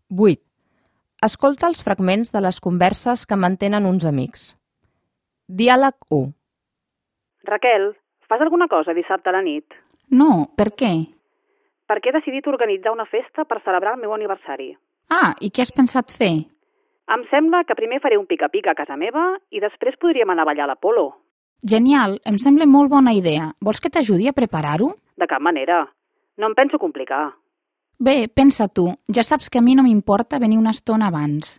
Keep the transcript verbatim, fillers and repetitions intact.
vuit. Escolta els fragments de les converses que mantenen uns amics. Diàleg u. Raquel, fas alguna cosa dissabte a la nit? No, per què? Perquè he decidit organitzar una festa per celebrar el meu aniversari. Ah, i què has pensat fer? Em sembla que primer faré un pica-pica a casa meva i després podríem anar a ballar a l'Apolo. Genial, em sembla molt bona idea. Vols que t'ajudi a preparar-ho? De cap manera. No em penso complicar. Bé, pensa tu, ja saps que a mi no m'importa venir una estona abans.